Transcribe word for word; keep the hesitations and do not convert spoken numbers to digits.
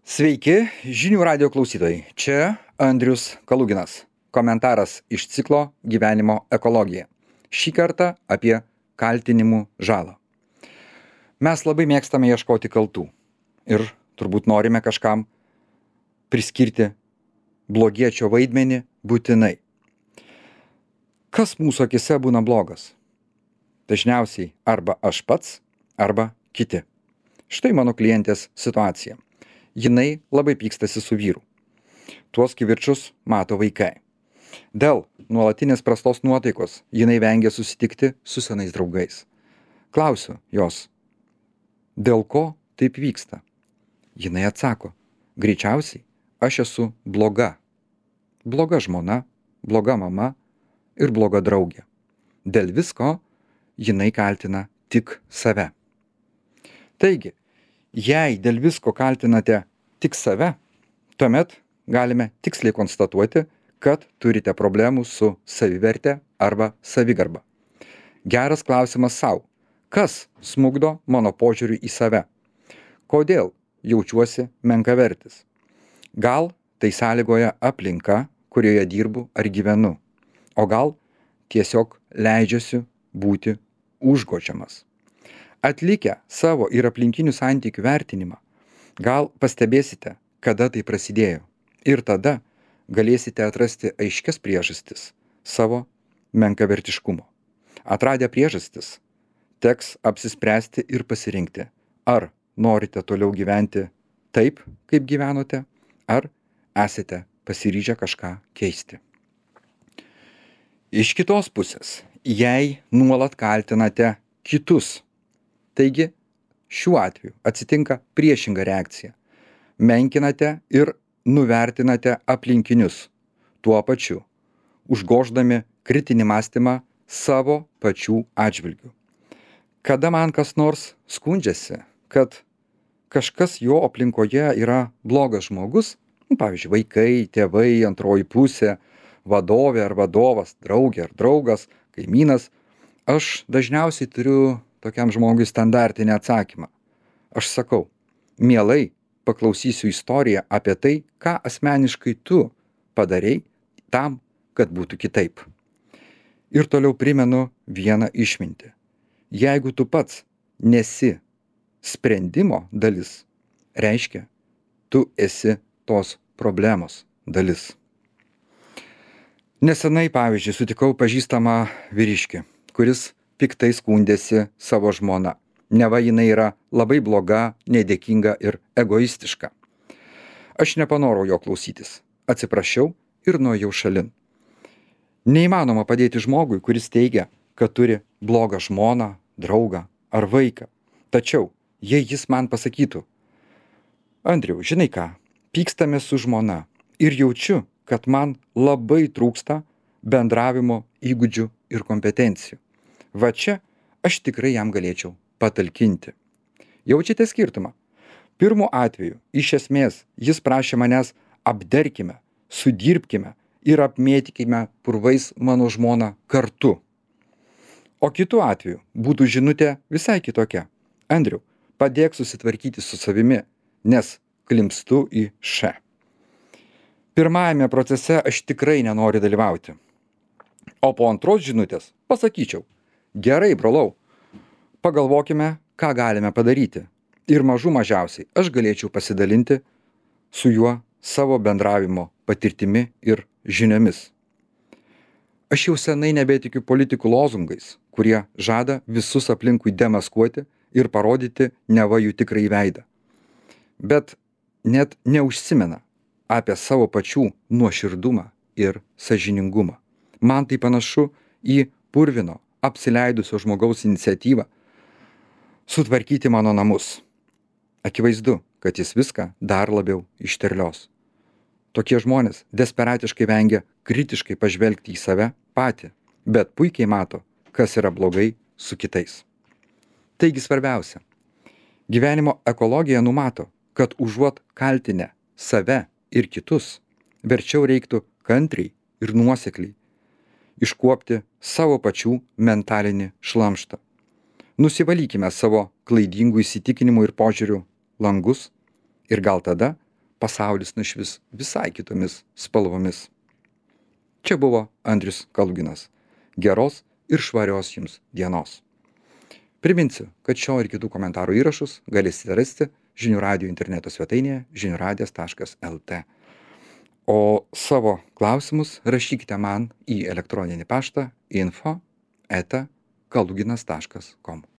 Sveiki, žinių radio klausytojai. Čia Andrius Kaluginas. Komentaras iš ciklo Gyvenimo ekologija. Šį kartą apie kaltinimų žalą. Mes labai mėgstame ieškoti kaltų ir turbūt norime kažkam priskirti blogiečio vaidmenį būtinai. Kas mūsų akise būna blogas? Dažniausiai arba aš pats, arba kiti. Štai mano klientės situacija. Jinai labai pykstasi su vyru. Tuos kivirčus mato vaikai. Dėl nuolatinės prastos nuotaikos jinai vengia susitikti su senais draugais. Klausiu jos, dėl ko taip vyksta? Jinai atsako, greičiausiai aš esu bloga. Bloga žmona, bloga mama ir bloga draugė. Dėl visko jinai kaltina tik save. Taigi, jei dėl visko kaltinate tik save, tuomet galime tiksliai konstatuoti, kad turite problemų su saviverte arba savigarba. Geras klausimas sau. Kas smukdo mano požiūrį į save? Kodėl jaučiuosi menkavertis? Gal tai sąlygoja aplinka, kurioje dirbu ar gyvenu? O gal tiesiog leidžiuosi būti užgočiamas? Atlikę savo ir aplinkinių santykių vertinimą, gal pastebėsite, kada tai prasidėjo. Ir tada galėsite atrasti aiškias priežastis savo menkavertiškumo. Atradę priežastis, teks apsispręsti ir pasirinkti, ar norite toliau gyventi taip, kaip gyvenote, ar esate pasiryžę kažką keisti. Iš kitos pusės, jei nuolat kaltinate kitus, taigi, šiuo atveju atsitinka priešinga reakcija. Menkinate ir nuvertinate aplinkinius, tuo pačiu, užgoždami kritinį mąstymą savo pačių atžvilgių. Kada man kas nors skundžiasi, kad kažkas jo aplinkoje yra blogas žmogus, pavyzdžiui, vaikai, tėvai, antroji pusė, vadovė ar vadovas, draugė ar draugas, kaimynas, aš dažniausiai turiu tokiam žmogui standartinį atsakymą. Aš sakau, mielai paklausysiu istoriją apie tai, ką asmeniškai tu padarei tam, kad būtų kitaip. Ir toliau primenu vieną išmintį. Jeigu tu pats nesi sprendimo dalis, reiškia, tu esi tos problemos dalis. Nesenai, pavyzdžiui, sutikau pažįstamą vyriškį, kuris piktai skundėsi savo žmona. Neva jinai yra labai bloga, nedėkinga ir egoistiška. Aš nepanorau jo klausytis. Atsiprašiau ir nuėjau šalin. Neįmanoma padėti žmogui, kuris teigia, kad turi blogą žmoną, draugą ar vaiką. Tačiau, jei jis man pasakytų, Andriau, žinai ką, pykstame su žmona ir jaučiu, kad man labai trūksta bendravimo įgūdžių ir kompetencijų. Va čia aš tikrai jam galėčiau patalkinti. Jaučiate skirtumą? Pirmu atveju, iš esmės, jis prašė manęs apderkime, sudirbkime ir apmėtykime purvais mano žmoną kartu. O kitu atveju būtų žinutė visai kitokia. Andriau, padėk susitvarkyti su savimi, nes klimpstu į š. Pirmajame procese aš tikrai nenoriu dalyvauti. O po antros žinutės pasakyčiau, gerai, brolau, pagalvokime, ką galime padaryti. Ir mažų mažiausiai aš galėčiau pasidalinti su juo savo bendravimo patirtimi ir žiniomis. Aš jau senai nebetikiu politikų lozungais, kurie žada visus aplinkui demaskuoti ir parodyti neva jų tikrąjį veidą. Bet net neužsimena apie savo pačių nuoširdumą ir sąžiningumą. Man tai panašu į purvino, apsileidusio žmogaus iniciatyvą sutvarkyti mano namus. Akivaizdu, kad jis viską dar labiau išterlios. Tokie žmonės desperatiškai vengia kritiškai pažvelgti į save patį, bet puikiai mato, kas yra blogai su kitais. Taigi svarbiausia, gyvenimo ekologija numato, kad užuot kaltinę save ir kitus, verčiau reiktų kantriai ir nuosekliai iškuopti savo pačių mentalinį šlamštą. Nusivalykime savo klaidingų įsitikinimų ir požiūrių langus ir gal tada pasaulis nušvis visai kitomis spalvomis. Čia buvo Andrius Kaluginas. Geros ir švarios jums dienos. Priminsiu, kad šio ir kitų komentarų įrašus galėsite rasti Žinių radijo interneto svetainėje žinių radijas taškas el te. O savo klausimus rašykite man į elektroninį paštą info eta kaluginas taškas kom.